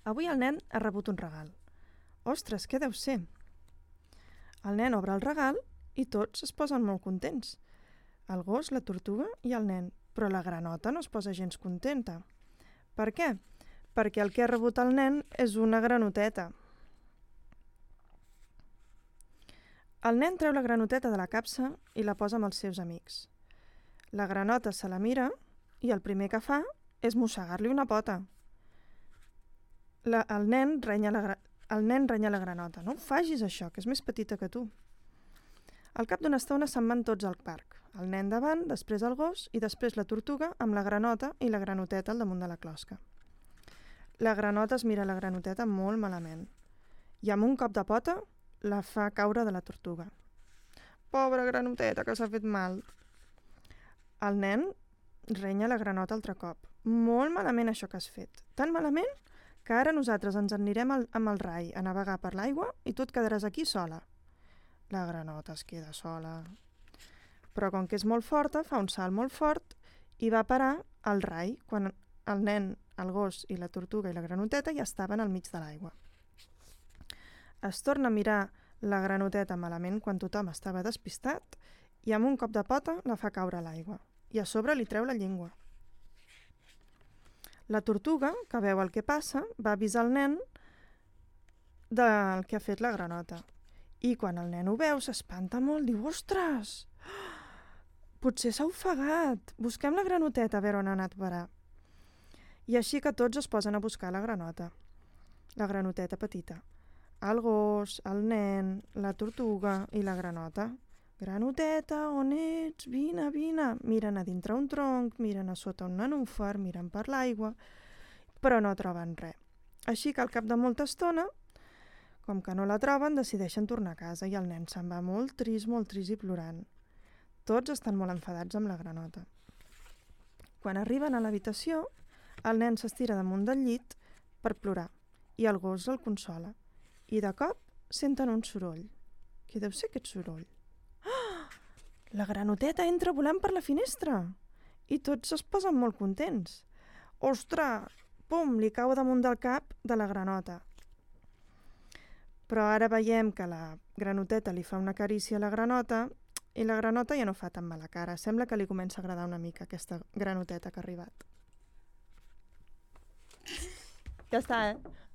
Avui el nen ha rebut un regal. Ostres, què deu ser? El nen obre el regal i tots es posen molt contents. El gos, la tortuga i el nen. Però la granota no es posa gens contenta. Per què? Perquè el que ha rebut el nen és una granoteta. El nen treu la granoteta de la capsa i la posa amb els seus amics. La granota se la mira i el primer que fa és mossegar-li una pota. El nen renya la granota. No facis això, que és més petita que tu. Al cap d'una estona se'n van tots al parc. El nen davant, després el gos i després la tortuga amb la granota i la granoteta al damunt de la closca. La granota es mira la granoteta molt malament i amb un cop de pota la fa caure de la tortuga. Pobra granoteta, que s'ha fet mal. El nen renya la granota altre cop. Molt malament això que has fet. Tan malament que ara nosaltres ens anirem amb el rai a navegar per l'aigua i tu et quedaràs aquí sola. La granota es queda sola. Però com que és molt forta, fa un salt molt fort i va parar al rai quan el nen, el gos i la tortuga i la granoteta ja estaven al mig de l'aigua. Es torna a mirar la granoteta malament quan tothom estava despistat i amb un cop de pota la fa caure a l'aigua i a sobre li treu la llengua. La tortuga, que veu el que passa, va avisar el nen del que ha fet la granota. I quan el nen ho veu, s'espanta molt, diu, ostres, potser s'ha ofegat, busquem la granoteta a veure on ha anat a parar. I així que tots es posen a buscar la granota, la granoteta petita. El gos, el nen, la tortuga i la granota. Granoteta, on ets? Vine, vine. Miren a dintre un tronc, miren a sota un nenúfar, miren per l'aigua, però no troben res. Així que al cap de molta estona, com que no la troben, decideixen tornar a casa i el nen se'n va molt trist i plorant. Tots estan molt enfadats amb la granota. Quan arriben a l'habitació, el nen s'estira damunt del llit per plorar i el gos el consola. I de cop senten un soroll. Què deu ser aquest soroll? La granoteta entra volant per la finestra i tots es posen molt contents. Ostres! Pum! Li cau damunt del cap de la granota. Però ara veiem que la granoteta li fa una carícia a la granota i la granota ja no fa tan mala cara. Sembla que li comença a agradar una mica aquesta granoteta que ha arribat. Ja està, eh?